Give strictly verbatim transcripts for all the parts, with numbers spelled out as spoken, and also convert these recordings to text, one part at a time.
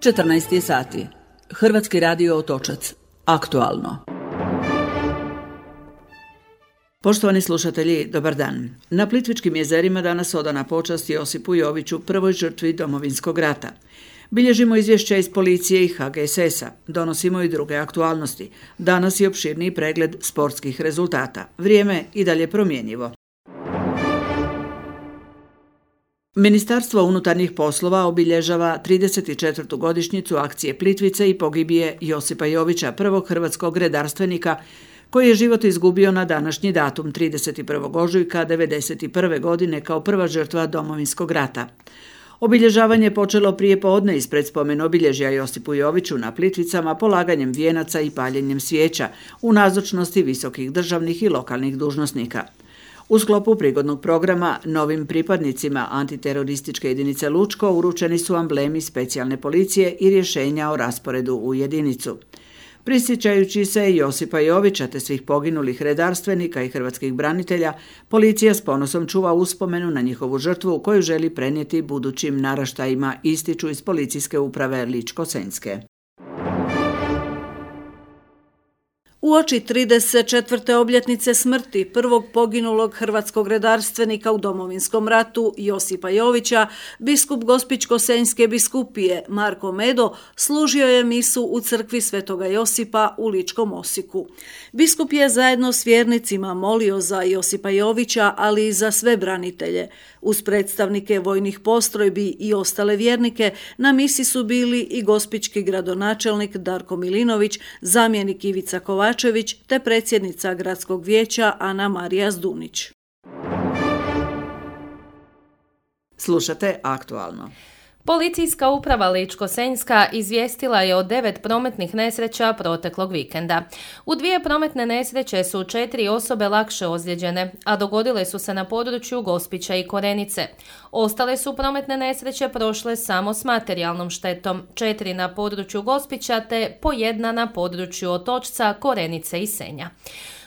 četrnaest je sati. Hrvatski radio Otočac. Aktualno. Poštovani slušatelji, dobar dan. Na Plitvičkim jezerima danas odana počast Josipu Joviću, prvoj žrtvi Domovinskog rata. Bilježimo izvješća iz policije i ha ge es es a. Donosimo i druge aktualnosti. Danas je opširniji pregled sportskih rezultata. Vrijeme i dalje promjenjivo. Ministarstvo unutarnjih poslova obilježava trideset četvrtu godišnjicu akcije Plitvice i pogibije Josipa Jovića, prvog hrvatskog redarstvenika koji je život izgubio na današnji datum trideset prvog ožujka devedeset prve godine kao prva žrtva Domovinskog rata. Obilježavanje je počelo prije podne ispred spomen obilježja Josipu Joviću na Plitvicama polaganjem vijenaca i paljenjem svijeća u nazočnosti visokih državnih i lokalnih dužnosnika. U sklopu prigodnog programa novim pripadnicima antiterorističke jedinice Lučko uručeni su amblemi specijalne policije i rješenja o rasporedu u jedinicu. Prisjećajući se Josipa Jovića te svih poginulih redarstvenika i hrvatskih branitelja, policija s ponosom čuva uspomenu na njihovu žrtvu koju želi prenijeti budućim naraštajima, ističu iz policijske uprave Ličko-senjske. Uoči trideset četvrte obljetnice smrti prvog poginulog hrvatskog redarstvenika u Domovinskom ratu Josipa Jovića, biskup Gospićko-senjske biskupije Marko Medo služio je misu u crkvi Svetoga Josipa u Ličkom Osijeku. Biskup je zajedno s vjernicima molio za Josipa Jovića, ali i za sve branitelje. Uz predstavnike vojnih postrojbi i ostale vjernike na misi su bili i gospićki gradonačelnik Darko Milinović, zamjenik Ivica Kovačević te predsjednica gradskog vijeća Ana Marija Zdunić. Slušate aktualno. Policijska uprava Ličko-senjska izvijestila je o devet prometnih nesreća proteklog vikenda. U dvije prometne nesreće su četiri osobe lakše ozlijeđene, a dogodile su se na području Gospića i Korenice. Ostale su prometne nesreće prošle samo s materijalnom štetom, četiri na području Gospića te po jedna na području Otočca, Korenice i Senja.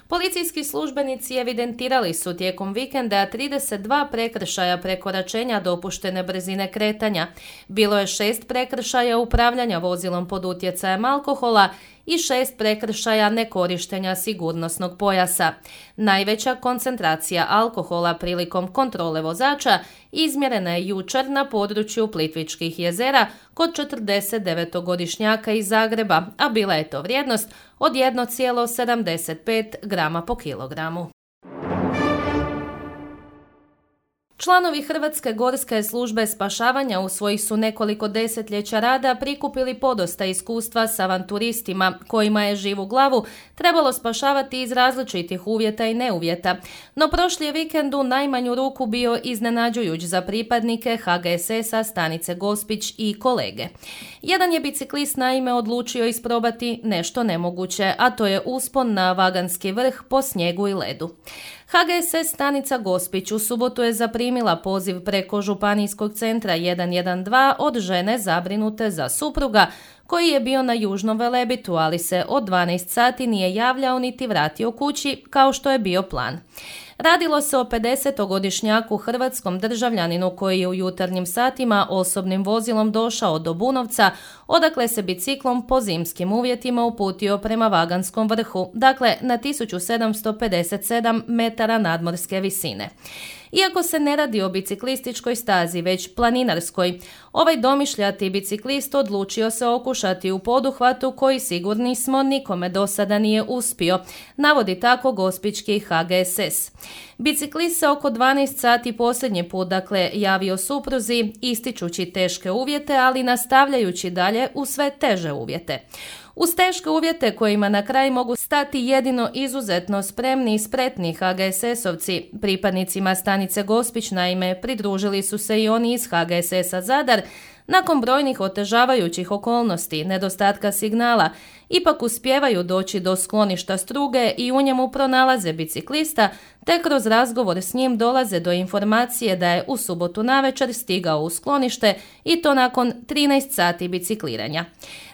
Policijski službenici evidentirali su tijekom vikenda trideset dva prekršaja prekoračenja dopuštene brzine kretanja. Bilo je šest prekršaja upravljanja vozilom pod utjecajem alkohola i šest prekršaja nekorištenja sigurnosnog pojasa. Najveća koncentracija alkohola prilikom kontrole vozača izmjerena je jučer na području Plitvičkih jezera kod četrdeset devetogodišnjaka iz Zagreba, a bila je to vrijednost od jedan zarez sedamdeset pet grama po kilogramu. Članovi Hrvatske gorske službe spašavanja u svojih su nekoliko desetljeća rada prikupili podosta iskustva s avanturistima kojima je živu glavu trebalo spašavati iz različitih uvjeta i neuvjeta. No prošli je vikend u najmanju ruku bio iznenađujuć za pripadnike ha ge es es a stanice Gospić i kolege. Jedan je biciklist naime odlučio isprobati nešto nemoguće, a to je uspon na Vaganski vrh po snijegu i ledu. ha ge es es stanica Gospić u subotu je zaprimila poziv preko županijskog centra jedan jedan dva od žene zabrinute za supruga koji je bio na Južnom Velebitu, ali se od dvanaest sati nije javljao niti vratio kući kao što je bio plan. Radilo se o pedesetogodišnjaku hrvatskom državljaninu koji je u jutarnjim satima osobnim vozilom došao do Bunovca, odakle se biciklom po zimskim uvjetima uputio prema Vaganskom vrhu, dakle na tisuću sedamsto pedeset sedam metara nadmorske visine. Iako se ne radi o biciklističkoj stazi, već planinarskoj, ovaj domišljati biciklist odlučio se okušati u poduhvatu koji sigurni smo nikome do sada nije uspio, navodi tako gospićki ha ge es es. Biciklist se oko dvanaest sati posljednji put dakle javio supruzi, ističući teške uvjete, ali nastavljajući dalje u sve teže uvjete. Uz teške uvjete kojima na kraj mogu stati jedino izuzetno spremni i spretni ha ge es esovci, pripadnicima stanice Gospić naime pridružili su se i oni iz ha ge es es a Zadar. Nakon brojnih otežavajućih okolnosti, nedostatka signala, ipak uspijevaju doći do skloništa Struge i u njemu pronalaze biciklista, te kroz razgovor s njim dolaze do informacije da je u subotu navečer stigao u sklonište i to nakon trinaest sati bicikliranja.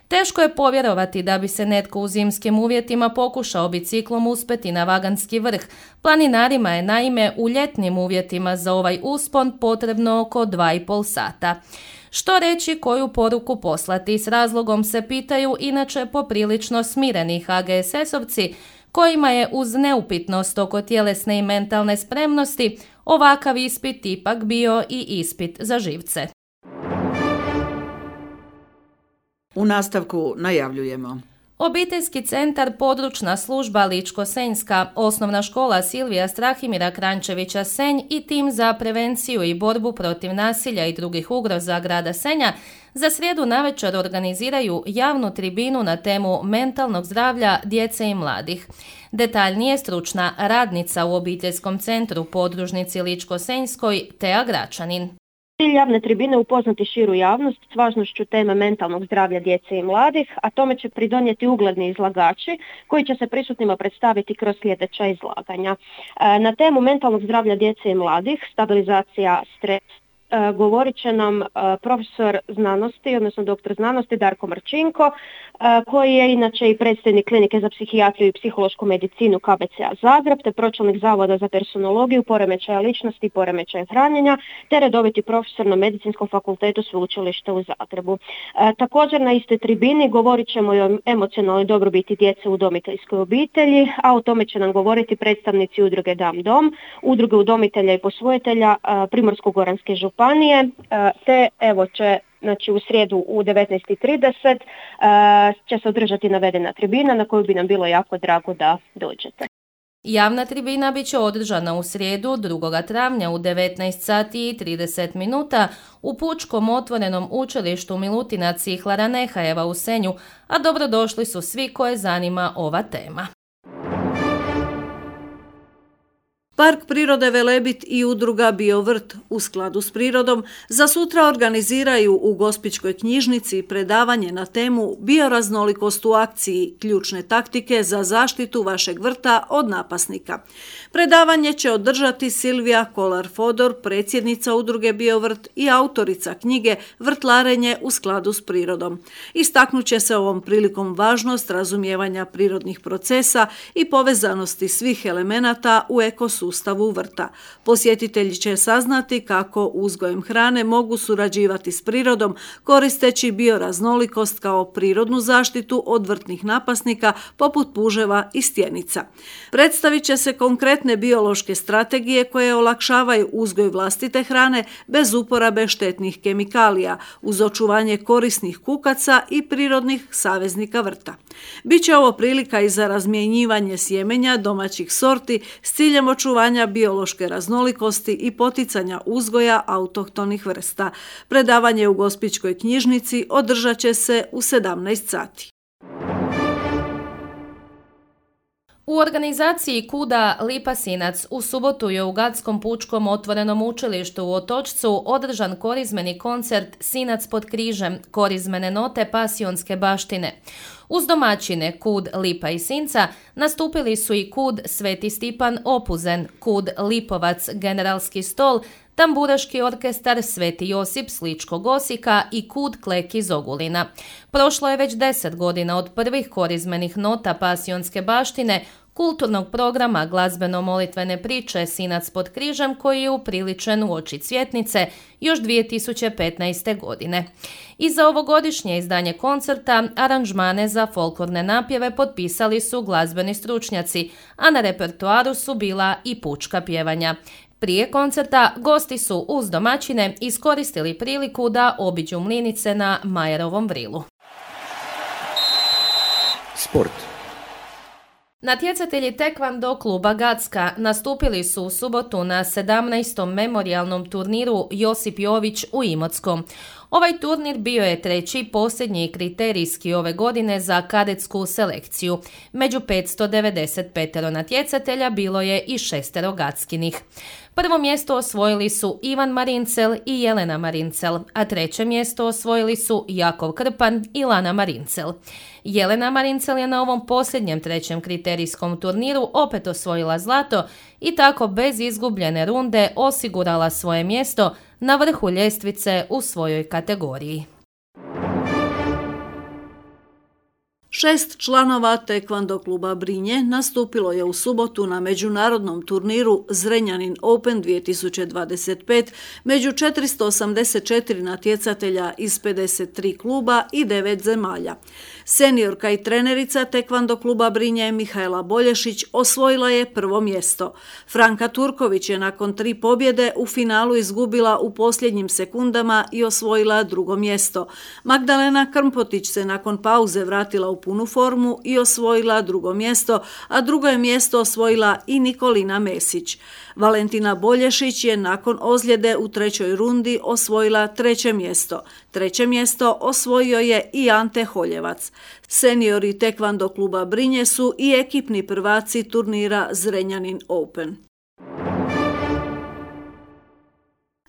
Teško je povjerovati da bi se netko u zimskim uvjetima pokušao biciklom uspeti na Vaganski vrh. Planinarima je naime u ljetnim uvjetima za ovaj uspon potrebno oko dva i pol sata. Što reći, koju poruku poslati? S razlogom se pitaju inače poprilično smireni ha ge es esovci, kojima je uz neupitnost oko tjelesne i mentalne spremnosti ovakav ispit ipak bio i ispit za živce. U nastavku najavljujemo. Obiteljski centar Područna služba Ličko-Senjska, Osnovna škola Silvija Strahimira Krančevića Senj i tim za prevenciju i borbu protiv nasilja i drugih ugroza grada Senja za srijedu navečer organiziraju javnu tribinu na temu mentalnog zdravlja djece i mladih. Detaljnije stručna radnica u obiteljskom centru podružnici Ličko-Senjskoj Teja Gračanin. Cilj javne tribine je upoznati širu javnost s važnošću teme mentalnog zdravlja djece i mladih, a tome će pridonijeti ugledni izlagači koji će se prisutnima predstaviti kroz sljedeća izlaganja. Na temu mentalnog zdravlja djece i mladih, stabilizacija stres, govorit će nam profesor znanosti, odnosno doktor znanosti Darko Marčinko, koji je inače i predstojnik klinike za psihijatriju i psihološku medicinu ka be ce a Zagreb, te pročelnik Zavoda za personologiju, poremećaja ličnosti i poremećaja hranjenja, te redoviti profesor na Medicinskom fakultetu Sveučilišta u Zagrebu. Također na istoj tribini govorit ćemo i o emocionalnoj dobrobiti djece u udomiteljskoj obitelji, a o tome će nam govoriti predstavnici udruge Dam Dom, udruge udomitelja i posvojitelja Primorsko-goranske županije, te evo će Znači u srijedu u devetnaest i trideset uh, će se održati navedena tribina na koju bi nam bilo jako drago da dođete. Javna tribina bit će održana u srijedu drugog travnja u devetnaest sati i trideset minuta u Pučkom otvorenom učilištu Milutina Cihlara Nehajeva u Senju, a dobrodošli su svi koje zanima ova tema. Park prirode Velebit i udruga Biovrt u skladu s prirodom za sutra organiziraju u Gospićkoj knjižnici predavanje na temu Bioraznolikost u akciji, ključne taktike za zaštitu vašeg vrta od napasnika. Predavanje će održati Silvija Kolar-Fodor, predsjednica udruge Biovrt i autorica knjige Vrtlarenje u skladu s prirodom. Istaknut će se ovom prilikom važnost razumijevanja prirodnih procesa i povezanosti svih elemenata u ekosustavu sustavu vrta. Posjetitelji će saznati kako uzgojem hrane mogu surađivati s prirodom koristeći bioraznolikost kao prirodnu zaštitu od vrtnih napasnika poput puževa i stjenica. Predstavit će se konkretne biološke strategije koje olakšavaju uzgoj vlastite hrane bez uporabe štetnih kemikalija uz očuvanje korisnih kukaca i prirodnih saveznika vrta. Biće ovo prilika i za razmjenjivanje sjemenja domaćih sorti s ciljem očuvanja biološke raznolikosti i poticanja uzgoja autohtonih vrsta. Predavanje u Gospićkoj knjižnici održat će se u sedamnaest sati. U organizaciji Kuda Lipa-Sinac u subotu je u Gadskom pučkom otvorenom učilištu u Otočcu održan korizmeni koncert Sinac pod križem, korizmene note pasionske baštine. Uz domaćine Kud Lipa i Sinca nastupili su i Kud Sveti Stipan Opuzen, Kud Lipovac Generalski stol, tamburaški orkestar Sveti Josip s Ličkog Osijeka i Kud Klek iz Ogulina. Prošlo je već deset godina od prvih korizmenih nota pasionske baštine, kulturnog programa glazbeno-molitvene priče Sinac pod križem koji je upriličen u oči Cvjetnice još dvije tisuće petnaeste. godine. I za ovogodišnje izdanje koncerta aranžmane za folklorne napjeve potpisali su glazbeni stručnjaci, a na repertoaru su bila i pučka pjevanja. Prije koncerta gosti su uz domaćine iskoristili priliku da obiđu mlinice na Majerovom vrilu. Sport. Natjecatelji tekvando kluba Gacka nastupili su u subotu na sedamnaestom memorijalnom turniru Josip Jović u Imotskom. Ovaj turnir bio je treći posljednji kriterijski ove godine za kadetsku selekciju. Među petsto devedeset pet natjecatelja bilo je i šestero Gackinih. Prvo mjesto osvojili su Ivan Marincel i Jelena Marincel, a treće mjesto osvojili su Jakov Krpan i Lana Marincel. Jelena Marincel je na ovom posljednjem trećem kriterijskom turniru opet osvojila zlato i tako bez izgubljene runde osigurala svoje mjesto na vrhu ljestvice u svojoj kategoriji. Šest članova Tekvando kluba Brinje nastupilo je u subotu na međunarodnom turniru Zrenjanin Open dvije tisuće dvadeset pet među četiristo osamdeset četiri natjecatelja iz pedeset tri kluba i devet zemalja. Seniorka i trenerica Tekvando kluba Brinje Mihajla Bolješić osvojila je prvo mjesto. Franka Turković je nakon tri pobjede u finalu izgubila u posljednjim sekundama i osvojila drugo mjesto. Magdalena Krmpotić se nakon pauze vratila u punu formu i osvojila drugo mjesto, a drugo je mjesto osvojila i Nikolina Mesić. Valentina Bolješić je nakon ozljede u trećoj rundi osvojila treće mjesto. Treće mjesto osvojio je i Ante Holjevac. Seniori Tekvando kluba Brinje su i ekipni prvaci turnira Zrenjanin Open.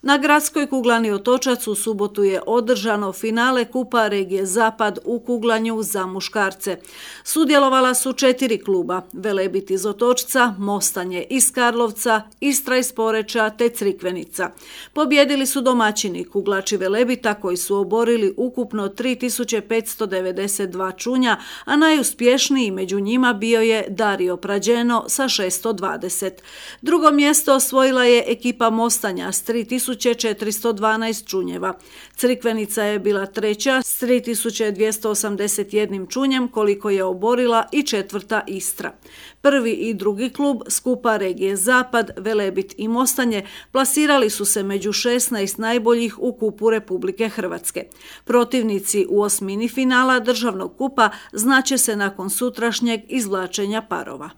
Na gradskoj kuglani Otočac u subotu je održano finale Kupa regije Zapad u kuglanju za muškarce. Sudjelovala su četiri kluba: Velebit iz Otočca, Mostanje iz Karlovca, Istra iz Poreča te Crikvenica. Pobjedili su domaćini kuglači Velebita koji su oborili ukupno tri tisuće petsto devedeset dva čunja, a najuspješniji među njima bio je Dario Prađeno sa šesto dvadeset. Drugo mjesto osvojila je ekipa Mostanja s tri tisuće četiristo dvanaest čunjeva. Crikvenica je bila treća s tri tisuće dvjesto osamdeset jedan čunjem koliko je oborila i četvrta Istra. Prvi i drugi klub skupa regije Zapad, Velebit i Mostanje plasirali su se među šesnaest najboljih u kupu Republike Hrvatske. Protivnici u osmini finala državnog kupa znaće se nakon sutrašnjeg izvlačenja parova.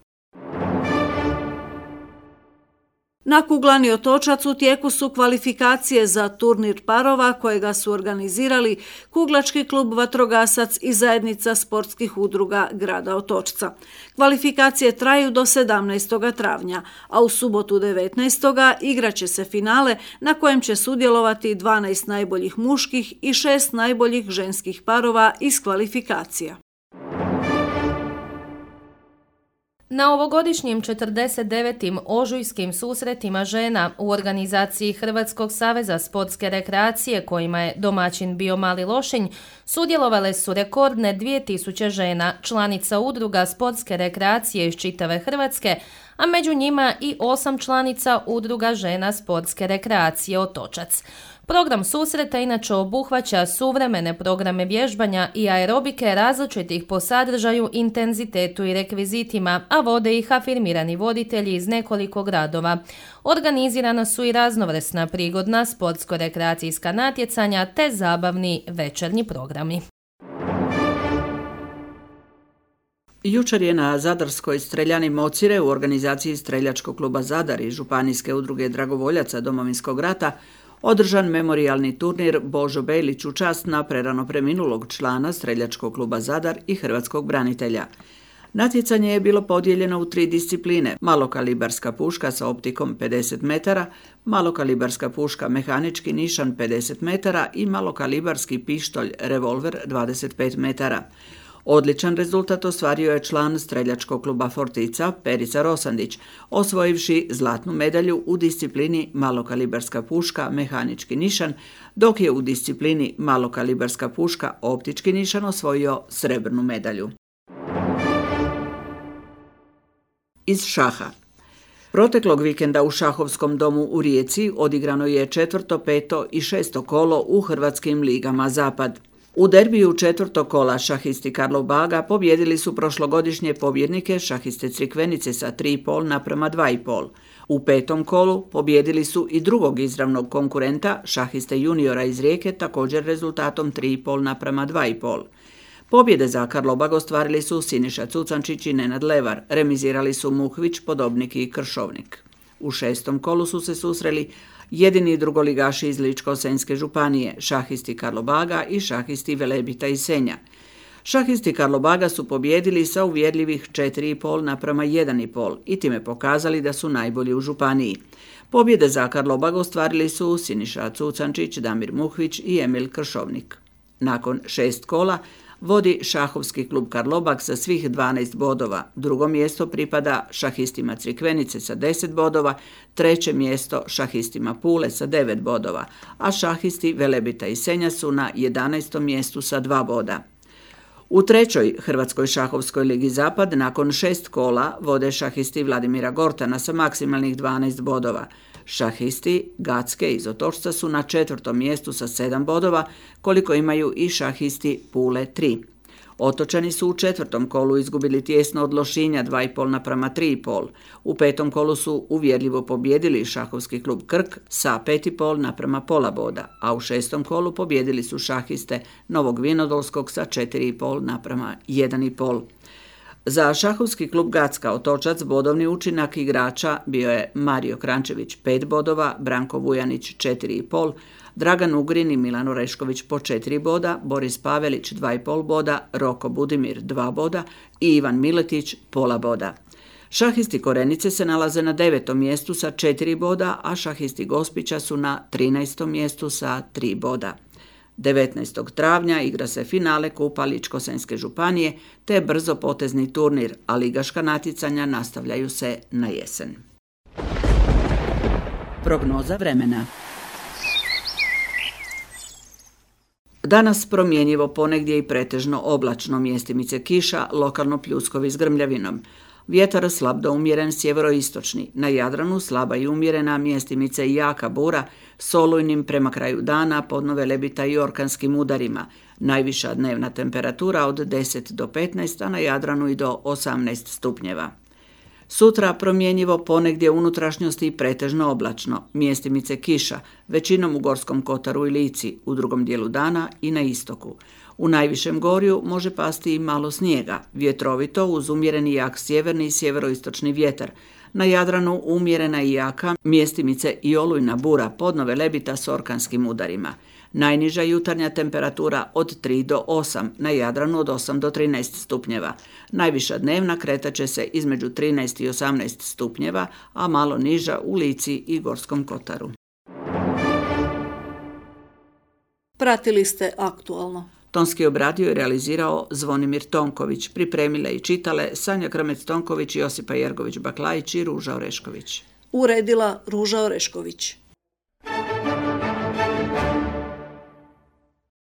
Na kuglani Otočac u tijeku su kvalifikacije za turnir parova kojega su organizirali Kuglački klub Vatrogasac i zajednica sportskih udruga grada Otočca. Kvalifikacije traju do sedamnaestog travnja, a u subotu devetnaestog igraće se finale na kojem će sudjelovati dvanaest najboljih muških i šest najboljih ženskih parova iz kvalifikacija. Na ovogodišnjim četrdeset devetim ožujskim susretima žena u organizaciji Hrvatskog saveza sportske rekreacije, kojima je domaćin bio Mali Lošinj, sudjelovale su rekordne dvije tisuće žena, članica udruga sportske rekreacije iz čitave Hrvatske, a među njima i osam članica udruga žena sportske rekreacije Otočac. Program susreta inače obuhvaća suvremene programe vježbanja i aerobike različitih po sadržaju, intenzitetu i rekvizitima, a vode ih afirmirani voditelji iz nekoliko gradova. Organizirana su i raznovrsna prigodna sportsko-rekreacijska natjecanja te zabavni večernji programi. Jučer je na Zadarskoj streljani Mocire u organizaciji Streljačkog kluba Zadar i Županijske udruge dragovoljaca Domovinskog rata održan memorijalni turnir Božo Bejlić u čast na prerano preminulog člana Streljačkog kluba Zadar i hrvatskog branitelja. Natjecanje je bilo podijeljeno u tri discipline: malokalibarska puška sa optikom pedeset metara, malokalibarska puška mehanički nišan pedeset metara i malokalibarski pištolj revolver dvadeset pet metara. Odličan rezultat ostvario je član Streljačkog kluba Fortica Perica Rosandić, osvojivši zlatnu medalju u disciplini malokalibarska puška mehanički nišan, dok je u disciplini malokalibarska puška optički nišan osvojio srebrnu medalju. Iz šaha. Proteklog vikenda u šahovskom domu u Rijeci odigrano je četvrto, peto i šesto kolo u hrvatskim ligama Zapad. U derbiju četvrtog kola šahisti Karlov Baga pobjedili su prošlogodišnje pobjednike šahiste Crikvenice sa tri i pol naprema dva i pol. U petom kolu pobjedili su i drugog izravnog konkurenta, šahiste juniora iz Rijeke, također rezultatom tri i pol naprema dva i pol. Pobjede za Karlobag ostvarili su Siniša Cucančić i Nenad Levar, remizirali su Muhvić, Podobnik i Kršovnik. U šestom kolu su se susreli jedini drugoligaši iz Ličko-senjske županije, šahisti Karlobaga i šahisti Velebita i Senja. Šahisti Karlobaga su pobjedili sa uvjerljivih četiri i pol naprema jedan i pol i time pokazali da su najbolji u županiji. Pobjede za Karlobag ostvarili su Siniša Cucančić, Damir Muhvić i Emil Kršovnik. Nakon šest kola vodi šahovski klub Karlobag sa svih dvanaest bodova, drugo mjesto pripada šahistima Crikvenice sa deset bodova, treće mjesto šahistima Pule sa devet bodova, a šahisti Velebita i Senja su na jedanaestom mjestu sa dva boda. U trećoj Hrvatskoj šahovskoj ligi Zapad nakon šest kola vode šahisti Vladimira Gortana sa maksimalnih dvanaest bodova. Šahisti Gacke iz Otočca su na četvrtom mjestu sa sedam bodova, koliko imaju i šahisti Pule tri. Otočani su u četvrtom kolu izgubili tijesno od Lošinja dva i pol naprama tri i pol. U petom kolu su uvjerljivo pobijedili šahovski klub Krk sa pet i pol naprama pola boda, a u šestom kolu pobijedili su šahiste Novog Vinodolskog sa četiri i pol naprama jedan i pol. Za šahovski klub Gacka Otočac bodovni učinak igrača bio je Mario Krančević pet bodova, Branko Vujanić četiri i pol, Dragan Ugrin i Milan Orešković po četiri boda, Boris Pavelić dva i pol boda, Roko Budimir dva boda i Ivan Miletić pola boda. Šahisti Korenice se nalaze na devetom mjestu sa četiri boda, a šahisti Gospića su na trinaestom mjestu sa tri boda. devetnaestog travnja igra se finale Kupa Ličko-senjske županije te brzo potezni turnir, a ligaška natjecanja nastavljaju se na jesen. Prognoza vremena. Danas promjenjivo, ponegdje i pretežno oblačno, mjestimice kiša, lokalno pljuskovi s grmljavinom. Vjetar slab do umjeren sjeveroistočni, na Jadranu slaba i umjerena, mjestimice i jaka bura s olujnim prema kraju dana, podno Velebita i orkanskim udarima. Najviša dnevna temperatura od deset do petnaest, a na Jadranu i do osamnaest stupnjeva. Sutra promjenjivo, ponegdje unutrašnjosti i pretežno oblačno, mjestimice kiša, većinom u Gorskom kotaru i Lici, u drugom dijelu dana i na istoku. U najvišem gorju može pasti i malo snijega, vjetrovito uz umjereni jak sjeverni i sjeveroistočni vjetar. Na Jadranu umjerena i jaka, mjestimice i olujna bura, podno Velebita s orkanskim udarima. Najniža jutarnja temperatura od tri do osam, na Jadranu od osam do trinaest stupnjeva. Najviša dnevna kretat će se između trinaest i osamnaest stupnjeva, a malo niža u Lici i Gorskom kotaru. Pratili ste Aktualno. Tonski obradio i realizirao Zvonimir Tonković, pripremile i čitale Sanja Krmec-Tonković, Josipa Jergović-Baklajić i Ruža Orešković. Uredila Ruža Orešković.